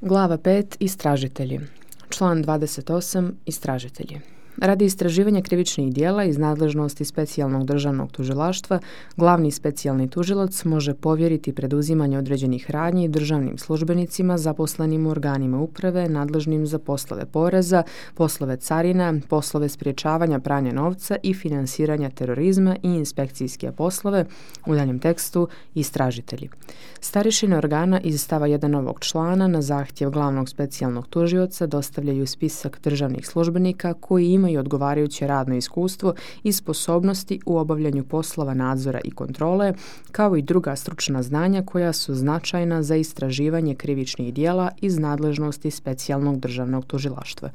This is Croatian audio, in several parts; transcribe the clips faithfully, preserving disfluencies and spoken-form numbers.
Glava pet. Istražitelji. Član dvadeset osam. Istražitelji. Radi istraživanja krivičnih djela iz nadležnosti specijalnog državnog tužilaštva, glavni specijalni tužilac može povjeriti preduzimanje određenih radnji državnim službenicima zaposlenim u organima uprave nadležnim za poslove poreza, poslove carina, poslove sprječavanja pranja novca i finansiranja terorizma i inspekcijske poslove, u daljem tekstu istražitelji. Starješine organa iz stava jedan ovog člana na zahtjev glavnog specijalnog tužioca dostavljaju spisak državnih službenika koji imaju i odgovarajuće radno iskustvo i sposobnosti u obavljanju poslova nadzora i kontrole, kao i druga stručna znanja koja su značajna za istraživanje krivičnih djela iz nadležnosti specijalnog državnog tužilaštva.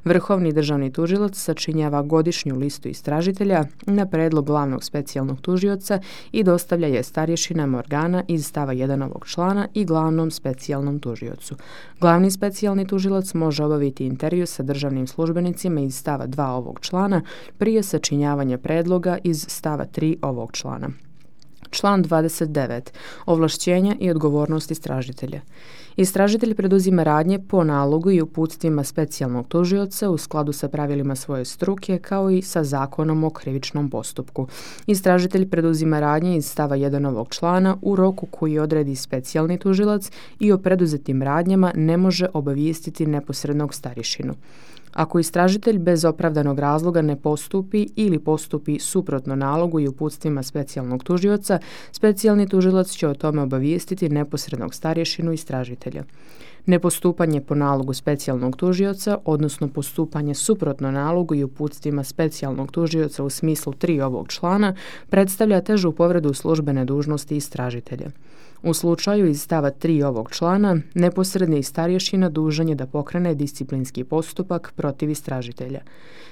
Vrhovni državni tužilac sačinjava godišnju listu istražitelja na predlog glavnog specijalnog tužioca i dostavlja je starješinama organa iz stava jedan ovog člana i glavnom specijalnom tužiocu. Glavni specijalni tužilac može obaviti intervju sa državnim službenicima iz stava dva ovog člana prije sačinjavanja predloga iz stava tri ovog člana. Član dvadeset devet. Ovlašćenja i odgovornost istražitelja. Istražitelj preduzima radnje po nalogu i uputstvima specijalnog tužioca u skladu sa pravilima svoje struke kao i sa Zakonom o krivičnom postupku. Istražitelj preduzima radnje iz stava jedan ovog člana u roku koji odredi specijalni tužilac i o preduzetim radnjama ne može obavijestiti neposrednog starješinu. Ako istražitelj bez opravdanog razloga ne postupi ili postupi suprotno nalogu i uputstvima specijalnog tužioca, specijalni tužilac će o tome obavijestiti neposrednog starješinu istražitelja. Nepostupanje po nalogu specijalnog tužioca, odnosno postupanje suprotno nalogu i uputstvima specijalnog tužioca u smislu tri ovog člana, predstavlja težu povredu službene dužnosti istražitelja. U slučaju iz stava tri ovog člana, neposredni starješina dužan je da pokrene disciplinski postupak protiv istražitelja.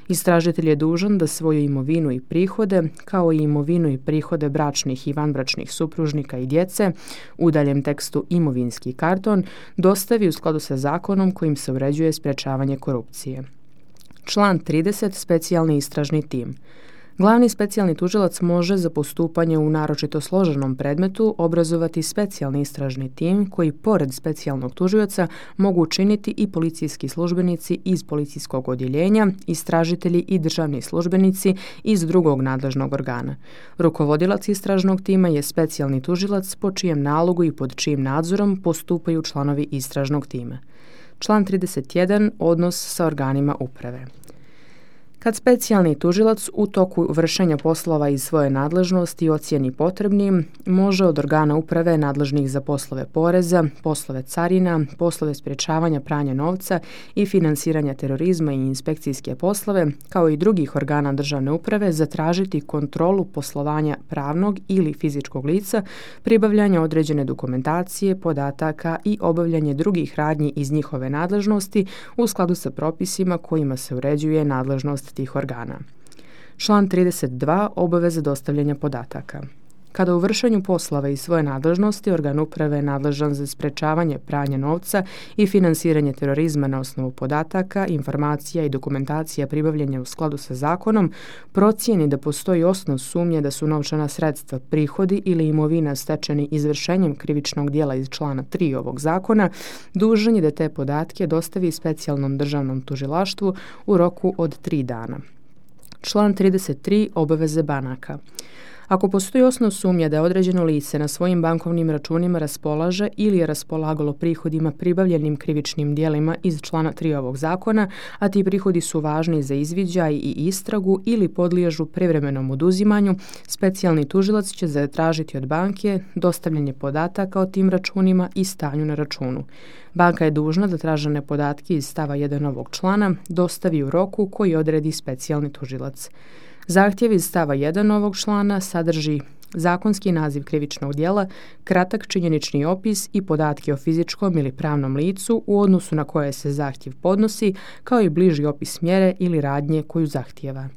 Istražitelj je dužan da svoju imovinu i prihode, kao i imovinu i prihode bračnih i vanbračnih supružnika i djece, u daljem tekstu imovinski karton, dostavi u skladu sa zakonom kojim se uređuje sprječavanje korupcije. Član trideset. Specijalni istražni tim. Glavni specijalni tužilac može za postupanje u naročito složenom predmetu obrazovati specijalni istražni tim koji pored specijalnog tužioca mogu učiniti i policijski službenici iz policijskog odjeljenja, istražitelji i državni službenici iz drugog nadležnog organa. Rukovodilac istražnog tima je specijalni tužilac po čijem nalogu i pod čijim nadzorom postupaju članovi istražnog tima. Član trideset jedan. Odnos sa organima uprave. Kad specijalni tužilac u toku vršenja poslova iz svoje nadležnosti ocijeni potrebnim, može od organa uprave nadležnih za poslove poreza, poslove carina, poslove sprječavanja pranja novca i finansiranja terorizma i inspekcijske poslove, kao i drugih organa državne uprave, zatražiti kontrolu poslovanja pravnog ili fizičkog lica, pribavljanje određene dokumentacije, podataka i obavljanje drugih radnji iz njihove nadležnosti u skladu sa propisima kojima se uređuje nadležnost tih organa. Član trideset dva. Obaveza dostavljanja podataka. Kada u vršenju poslova iz svoje nadležnosti organ uprave je nadležan za sprječavanje pranja novca i finansiranje terorizma na osnovu podataka, informacija i dokumentacija pribavljanja u skladu sa zakonom, procijeni da postoji osnov sumnje da su novčana sredstva, prihodi ili imovina stečeni izvršenjem krivičnog djela iz člana tri ovog zakona, dužan je da te podatke dostavi specijalnom državnom tužilaštvu u roku od tri dana. Član trideset tri. Obaveze banaka. Ako postoji osnov sumnje da određeno lice na svojim bankovnim računima raspolaže ili je raspolagalo prihodima pribavljenim krivičnim djelima iz člana tri ovog zakona, a ti prihodi su važni za izviđaj i istragu ili podliježu privremenom oduzimanju, specijalni tužilac će zatražiti od banke dostavljanje podataka o tim računima i stanju na računu. Banka je dužna da tražene podatke iz stava jedan ovog člana dostavi u roku koji odredi specijalni tužilac. Zahtjev iz stava jedan ovog člana sadrži zakonski naziv krivičnog djela, kratak činjenični opis i podatke o fizičkom ili pravnom licu u odnosu na koje se zahtjev podnosi, kao i bliži opis mjere ili radnje koju zahtijeva.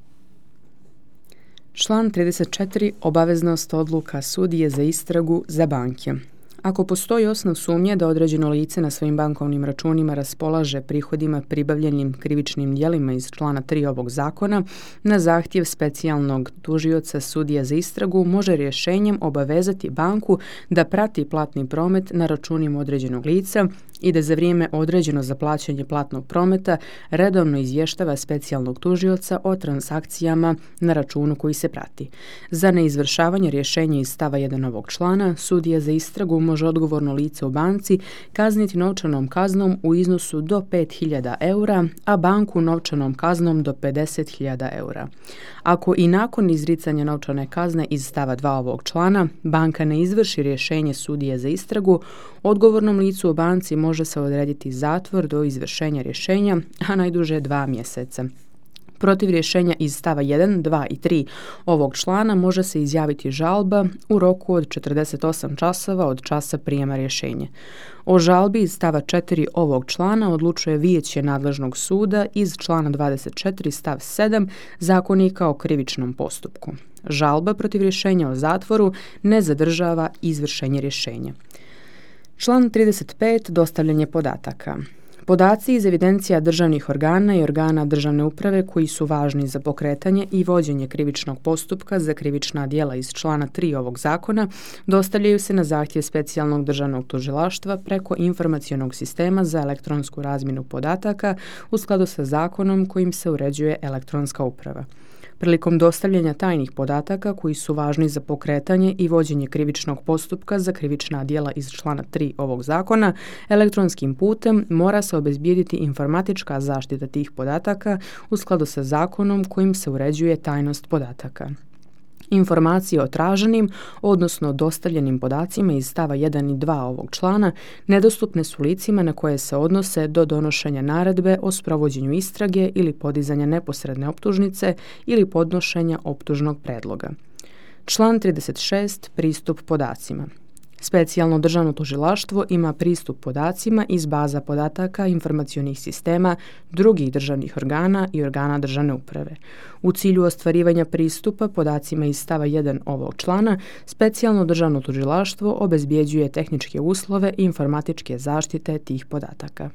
Član trideset četiri. Obaveznost odluka sudije za istragu za banke. Ako postoji osnov sumnje da određeno lice na svojim bankovnim računima raspolaže prihodima pribavljenim krivičnim djelima iz člana tri ovog zakona, na zahtjev specijalnog tužioca sudija za istragu može rješenjem obavezati banku da prati platni promet na računima određenog lica i da za vrijeme određeno za plaćanje platnog prometa redovno izvještava specijalnog tužioca o transakcijama na računu koji se prati. Za neizvršavanje rješenja iz stava jedan ovog člana, sudija za istragu može odgovorno lice u banci kazniti novčanom kaznom u iznosu do pet hiljada eura, a banku novčanom kaznom do pedeset hiljada eura. Ako i nakon izricanja novčane kazne iz stava dva ovog člana banka ne izvrši rješenje sudije za istragu, odgovornom licu u banci može se odrediti zatvor do izvršenja rješenja, a najduže dva mjeseca. Protiv rješenja iz stava jedan, dva i tri ovog člana može se izjaviti žalba u roku od četrdeset osam časova od časa prijema rješenja. O žalbi iz stava četiri ovog člana odlučuje vijeće nadležnog suda iz člana dvadeset četiri stav sedam Zakonika o krivičnom postupku. Žalba protiv rješenja o zatvoru ne zadržava izvršenje rješenja. Član trideset pet. Dostavljanje podataka. Podaci iz evidencija državnih organa i organa državne uprave koji su važni za pokretanje i vođenje krivičnog postupka za krivična djela iz člana tri ovog zakona dostavljaju se na zahtjev specijalnog državnog tužilaštva preko informacionog sistema za elektronsku razmjenu podataka u skladu sa zakonom kojim se uređuje elektronska uprava. Prilikom dostavljanja tajnih podataka koji su važni za pokretanje i vođenje krivičnog postupka za krivična djela iz člana tri ovog zakona, elektronskim putem mora se obezbijediti informatička zaštita tih podataka u skladu sa zakonom kojim se uređuje tajnost podataka. Informacije o traženim, odnosno dostavljenim podacima iz stava jedan i dva ovog člana nedostupne su licima na koje se odnose do donošenja naredbe o sprovođenju istrage ili podizanja neposredne optužnice ili podnošenja optužnog predloga. Član trideset šest. Pristup podacima. Specijalno državno tužilaštvo ima pristup podacima iz baza podataka informacionih sistema drugih državnih organa i organa državne uprave. U cilju ostvarivanja pristupa podacima iz stava jedan ovog člana, specijalno državno tužilaštvo obezbjeđuje tehničke uslove i informatičke zaštite tih podataka.